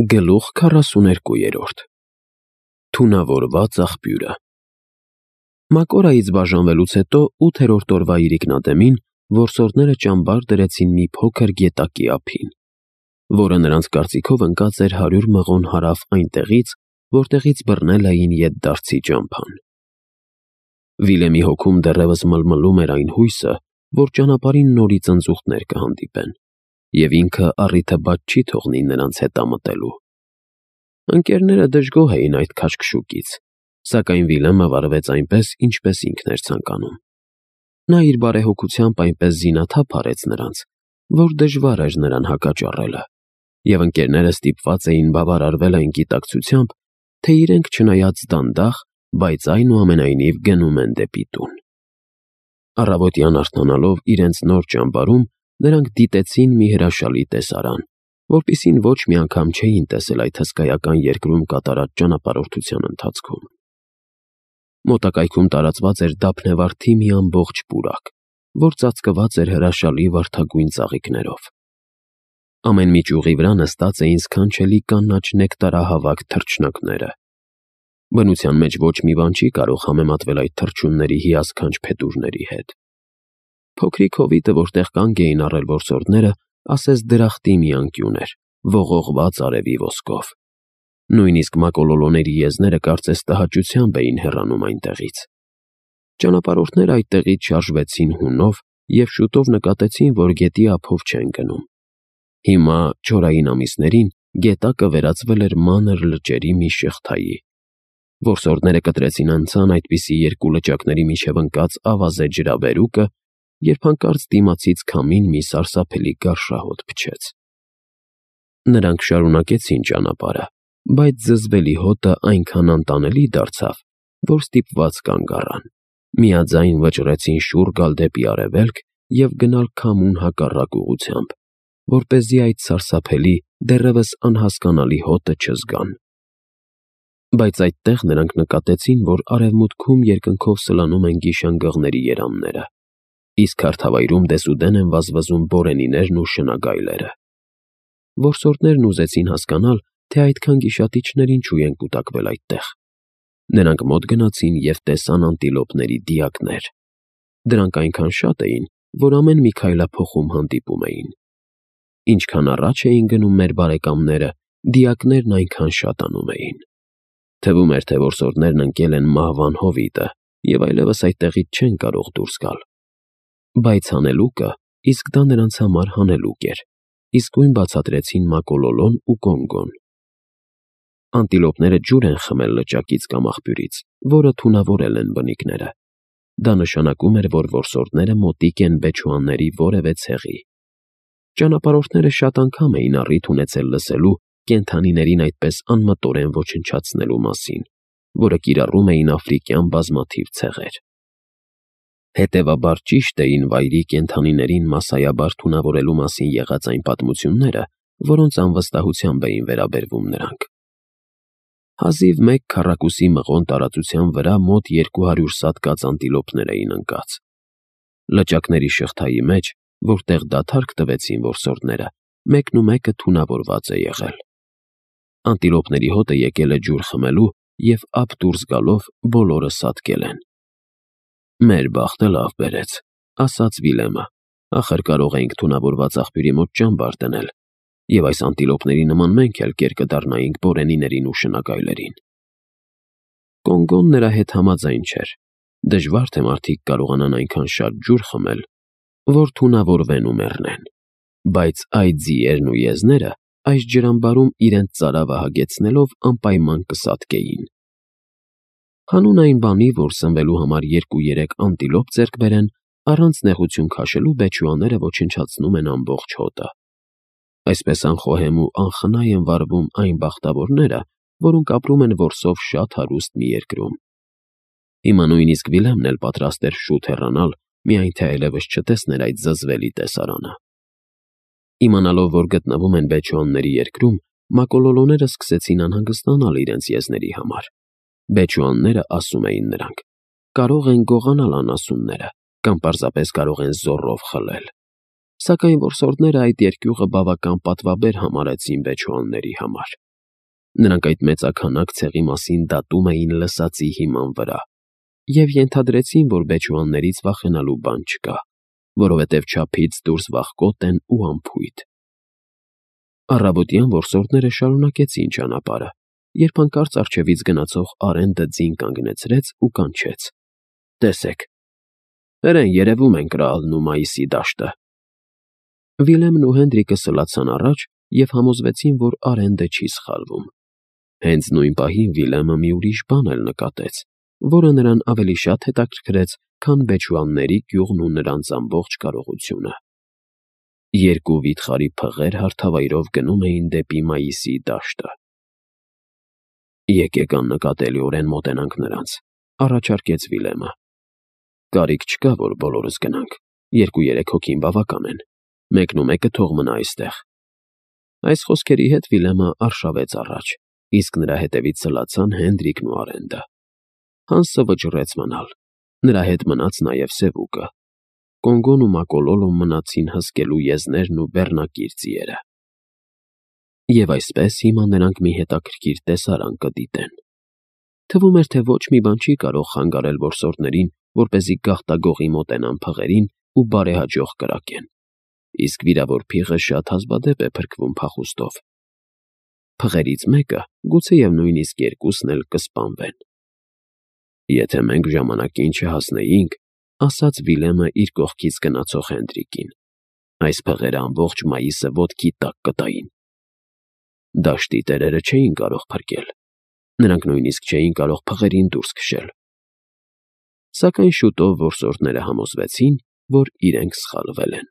Գլուխ 42 Թունավորված աղբյուրը Մակորայից բաժանվելուց հետո 8-րդ օրվա իրիկնադեմին որսորդները ճամբար դրեցին մի փոքր գետակի ափին, որը նրանց կարծիքով ընկած էր 100 մղոն հարավ այնտեղից, որտեղից բռնել էին ետդարձի ճամփան։ Վիլեմի հոգում դեռևս մլմլում էր այն հույսը, որ ճանապարհին նորից ընձուղտներ կհանդիպեն, և ինքը առիթը բաց չի թողնի նրանց հետամտելու։ Ընկերները դժգոհ էին այդ քաշքշուկից, սակայն Վիլեմը վարվեց այնպես, ինչպես ինքն էր ցանկանում։ Նա իր բարեհոգությամբ այնպես զինաթափ արեց նրանց, որ դժվար էր նրան հակաճառելը, և ընկերները ստիպված էին բավարարվել այն գիտակցությամբ, թե իրենք չնայած դանդաղ, բայց այնուամենայնիվ գնում են դեպի տուն։ Առավոտյան արթնանալով իրենց նոր ճամբարում, նրանք դիտեցին մի հրաշալի տեսարան, որպիսին ոչ մի անգամ չէին տեսել այդ հսկայական երկրում կատարած ճանապարհորդության ընթացքում։ Մոտակայքում տարածված էր դափնեվարդի մի ամբողջ պուրակ, որ ծածկված էր հրաշալի վարդագույն ծաղիկներով։ Ամեն մի ճյուղի վրա նստած էին սքանչելի կանաչ նեկտարահավաք թռչնակները։ Բնության մեջ ոչ մի բան չի կարող համեմատվել այդ թռչունների հիասքանչ փետուրների հետ։ Փոքրիկ հովիտը, որտեղ կանգ էին առել որսորդները, ասես դրախտի մի անկյուն էր, ողողված արևի ոսկով։ Նույնիսկ մակոլոլոների եզները կարծես տհաճությամբ էին հեռանում այնտեղից։ Ճանապարհորդները այդտեղից շարժվեցին հունով և շուտով նկատեցին, որ գետի ափով չեն գնում։ Հիմա, չորային ամիսներին, գետակը վերածվել էր մանր լճերի մի շղթայի։ Որսորդները կտրեցին անցան այդպիսի երկու լճակների միջև ընկած ավազե ջրաբերուկը, երբ հանկարծ դիմացից քամին մի սարսափելի գարշահոտ փչեց։ Նրանք շարունակեցին ճանապարհը, բայց զզվելի հոտը այնքան անտանելի դարձավ, որ ստիպված կանգ առան, միաձայն վճռեցին շուռ գալ դեպի արևելք և գնալ քամուն հակառակ ուղղությամբ, որպեսզի այդ սարսափելի, դեռևս անհասկանալի հոտը չզգան։ Բայց այդտեղ նրանք նկատեցին, որ արևմուտքում երկնքով սլանում են գիշանգղների երամները, իսկ հարթավայրում դեսուդեն են վազվզում բորենիներն ու շնագայլերը։ Որսորդներն ուզեցին հասկանալ, թե այդքան գիշատիչներ ինչու են կուտակվել այդտեղ։ Նրանք մոտ գնացին և տեսան անտիլոպների դիակներ։ Դրանք այնքան շատ էին, որ ամեն մի քայլափոխում հանդիպում էին։ Ինչքան առաջ էին գնում մեր բարեկամները, դիակներն այնքան շատանում էին։ Թվում էր, թե որսորդներն ընկել են մահվան հովիտը և այլևս այդտեղից չեն կարող դուրս գալ։ Բայց հանելուկը, իսկ դա նրանց համար հանելուկ էր, իսկույն բացատրեցին մակոլոլոն ու կոնգոն։ Անտիլոպները ջուր են խմել լճակից կամ աղբյուրից, որը թունավորել են բնիկները։ Դա նշանակում էր, որ որսորդները մոտիկ են բեչուանների որևէ ցեղի։ Ճանապարհորդները շատ անգամ էին առիթ ունեցել լսելու կենդանիներին այդպես անմտորեն ոչնչացնելու մասին, որը կիրառում էին աֆրիկյան բազմաթիվ ցեղեր։ Հետևաբար ճիշտ էին վայրի կենդանիներին մասսայաբար թունավորելու մասին եղած այն պատմությունները, որոնց անվստահությամբ էին վերաբերվում նրանք։ Հազիվ 1 քառակուսի մղոն տարածության վրա մոտ 200 սատկած անտիլոպներ էին ընկած։ Լճակների շղթայի մեջ, որտեղ դադարք տվեցին որսորդները, մեկնումեկը թունավորված է եղել։ Անտիլոպների հոտը եկել է ջուր խմելու և ափ դուրս գալով բոլորը սատկել են։ «Մեր բախտը լավ բերեց», ասաց Վիլեմը, «ախր կարող էինք թունավորված աղբյուրի մոտ ճամբար դնել, և այս անտիլոպների նման մենք էլ կեր կդառնայինք բորենիներին ու շնագայլերին»։ Կոնգոն նրա հետ համաձայն չէր։ Դժվար թե մարդիկ կարողանան այնքան շատ ջուր խմել, որ թունավորվեն ու մեռնեն։ Բայց այդ ձիերն ու եզները այս ջրամբարում իրենց ծարավը հագեցնելով անպայման կսատկեին։ Հանուն այն բանի, որ սնվելու համար 2-3 անտիլոպ ձեռք բերեն, առանց նեղություն քաշելու բեչուաները ոչնչացնում են ամբողջ հոտը։ Այսպես անխոհեմ ու անխնայ են վարվում այն բախտավորները, որոնք ապրում են որսով շատ հարուստ մի երկրում։ Հիմա նույնիսկ Վիլեմն էլ պատրաստ էր շուտ հեռանալ, միայն թե այլևս չտեսներ այդ զզվելի տեսարանը։ Իմանալով, որ գտնվում են բեչուանների երկրում, մակոլոլոները սկսեցին անհանգստանալ իրենց եզների համար։ Բեչուանները, ասում էին նրանք, կարող են գողանալ անասունները կամ պարզապես կարող են զոռով խլել։ Սակայն որսորդները այդ երկյուղը բավական պատվաբեր համարեցին բեչուանների համար։ Նրանք այդ մեծաքանակ ցեղի մասին դատում էին լսածի հիման վրա և ենթադրեցին, որ բեչուաններից վախենալու բան չկա, որովհետև չափից դուրս վախկոտ են ու անփույթ։ Առավոտյան որսորդները շարունակեցին ճանապարհը, երբ հանկարծ առջևից գնացող Արենդը ձին կանգնեցրեց ու կանչեց. «Տեսեք, հրեն երևում են Կրալն ու Մայիսի դաշտը»։ Վիլեմն ու Հենդրիկը սլացան առաջ և համոզվեցին, որ Արենդը չի սխալվում։ Հենց նույն պահին Վիլեմը մի ուրիշ բան էլ նկատեց, որը նրան ավելի շատ հետաքրքրեց, քան բեչուանների գյուղն ու նրանց ամբողջ կարողությունը։ Երկու վիթխարի փղեր հարթավայրով գնում էին դեպի Մայիսի դաշտը։ «Եկեք աննկատելիորեն մոտենանք նրանց», առաջարկեց Վիլեմը։ «Կարիք չկա, որ բոլորս գնանք, 2-3 հոգին բավական են, մեկն ու մեկը թող մնա այստեղ»։ Այս խոսքերի հետ Վիլեմը արշավեց առաջ, իսկ նրա հետևից սլացան Հենդրիկն ու Արենդը։ Հանսը վճռեց մնալ, նրա հետ մնաց նաև Սևուկը։ Կոնգոն ու Մակոլոլոն մնացին հսկելու եզներն ու բեռնակիր ձիերը։ Եվ այսպես հիմա նրանք մի հետաքրքիր տեսարան կդիտեն։ Թվում էր, թե ոչ մի բան չի կարող խանգարել որսորդներին, որպեսզի գաղտագողի մոտենան փղերին ու բարեհաջող կրակեն, իսկ վիրավոր փիղը շատ հազվադեպ է փրկվում փախուստով։ Փղերից մեկը, գուցեև նույնիսկ երկուսն էլ կսպանվեն։ «Եթե մենք ժամանակին չհասնեինք», ասաց Վիլեմը իր կողքից գնացող Հենդրիկին, «այս փղերը ամբողջ Մայիսը ոտքի տակ կտային»։ Դաշտի տերերը չէին կարող փրկել։ Նրանք նույնիսկ չէին կարող փղերին դուրս քշել։ Սակայն շուտով որսորդները համոզվեցին, որ իրենք սխալվել են։